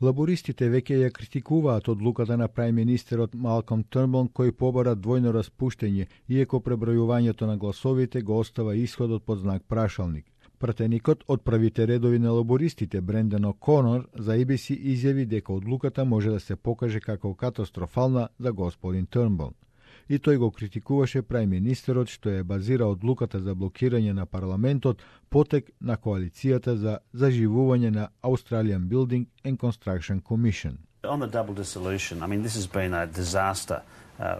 Лабористите веќе ја критикуваат одлуката на прајм-министерот Малком Трнбул кој побара двојно распуштење, иако пребројувањето на гласовите го остава исходот под знак прашалник. Пратеникот од правите редови на лабористите Брендон О'Конор за ABC изјави дека одлуката може да се покаже како катастрофална за господин Трнбул. И тој го критикуваше прајм-министерот што е базира одлуката за блокирање на парламентот потек на коалицијата за заживување на Australian Building and Construction Commission. On the double dissolution, I mean, this has been a disaster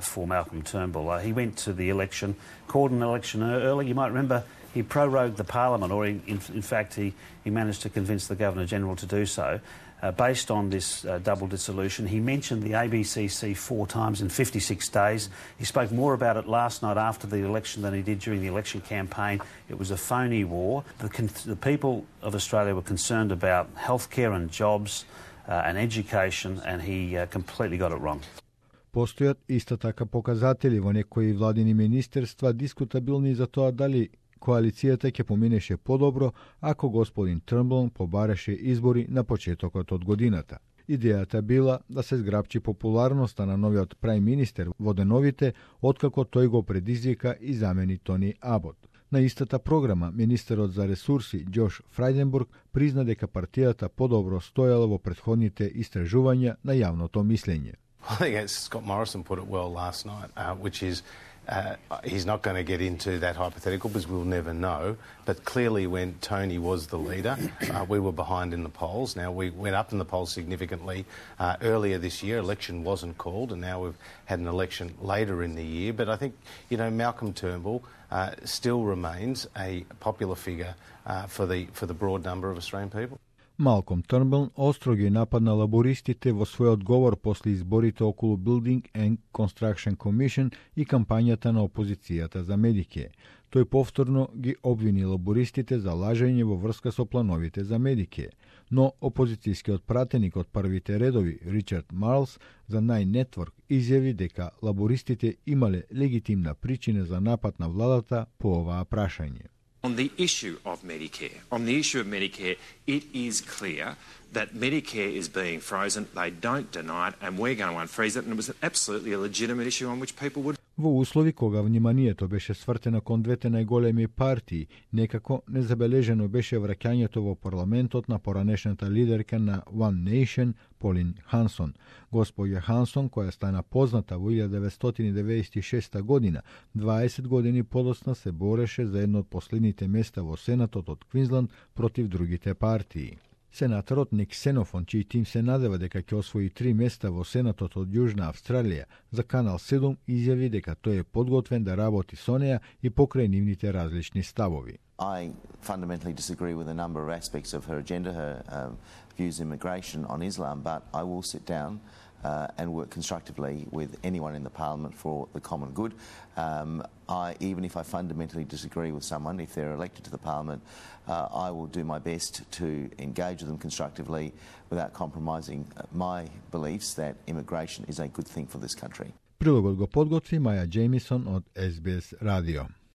for Malcolm Turnbull. He went to the election, called an election early. You might remember he prorogued the parliament, or in fact he managed to convince the Governor-General to do so. Based on this double dissolution, he mentioned the ABCC 4 times in 56 days. He spoke more about it last night after the election than he did during the election campaign. It was a phony war. The people of Australia were concerned about healthcare and jobs and education, and he completely got it wrong. Постојат исто така показатели во некои владини министерства дискутабилни за тоа дали коалицијата ќе поминеше подобро ако господин Трнбул побараше избори на почетокот од годината. Идејата била да се зграпчи популарноста на новиот прајм-министер во деновите откако тој го предизвика и замени Тони Абот. На истата програма, министерот за ресурси Џош Фрајденбург призна дека партијата подобро стоела во претходните истражувања на јавното мислење. I think Scott Morrison put it well last night, which is he's not going to get into that hypothetical because we'll never know. But clearly when Tony was the leader, we were behind in the polls. Now we went up in the polls significantly earlier this year. Election wasn't called and now we've had an election later in the year. But I think, Malcolm Turnbull still remains a popular figure for the broad number of Australian people. Малком Трнбул остро ги нападна лабористите во својот говор после изборите околу Building and Construction Commission и кампањата на опозицијата за Медикеј. Тој повторно ги обвини лабористите за лажење во врска со плановите за Медикеј. Но опозицијскиот пратеник од првите редови, Ричард Марлс, за Nine Network изјави дека лабористите имале легитимна причина за напад на владата по оваа прашање. On the issue of Medicare, it is clear that Medicare is being frozen. They don't deny it, and we're going to unfreeze it. And it was absolutely a legitimate issue on which people would. Во услови кога вниманието беше свртено кон двете најголеми партии, некако незабележено беше враќањето во парламентот на поранешната лидерка на One Nation, Полин Хансон. Госпоѓа Хансон, која стана позната во 1996 година, 20 години подоцна се бореше за едно од последните места во Сенатот од Квинсланд против другите партии. Сенаторот Ник Сенофон, чиј тим се надева дека ќе освои 3 места во Сенатот од Јужна Австралија, за Канал 7 изјави дека тој е подготвен да работи со неа и покрај нивните различни ставови. I fundamentally disagree with a number of aspects of her agenda, her views on immigration, on Islam, but I will sit down and work constructively with anyone in the Parliament for the common good. Even if I fundamentally disagree with someone, if they're elected to the Parliament, I will do my best to engage with them constructively without compromising my beliefs that immigration is a good thing for this country. Прилогот го подготви Маја Джеймисон од SBS радио.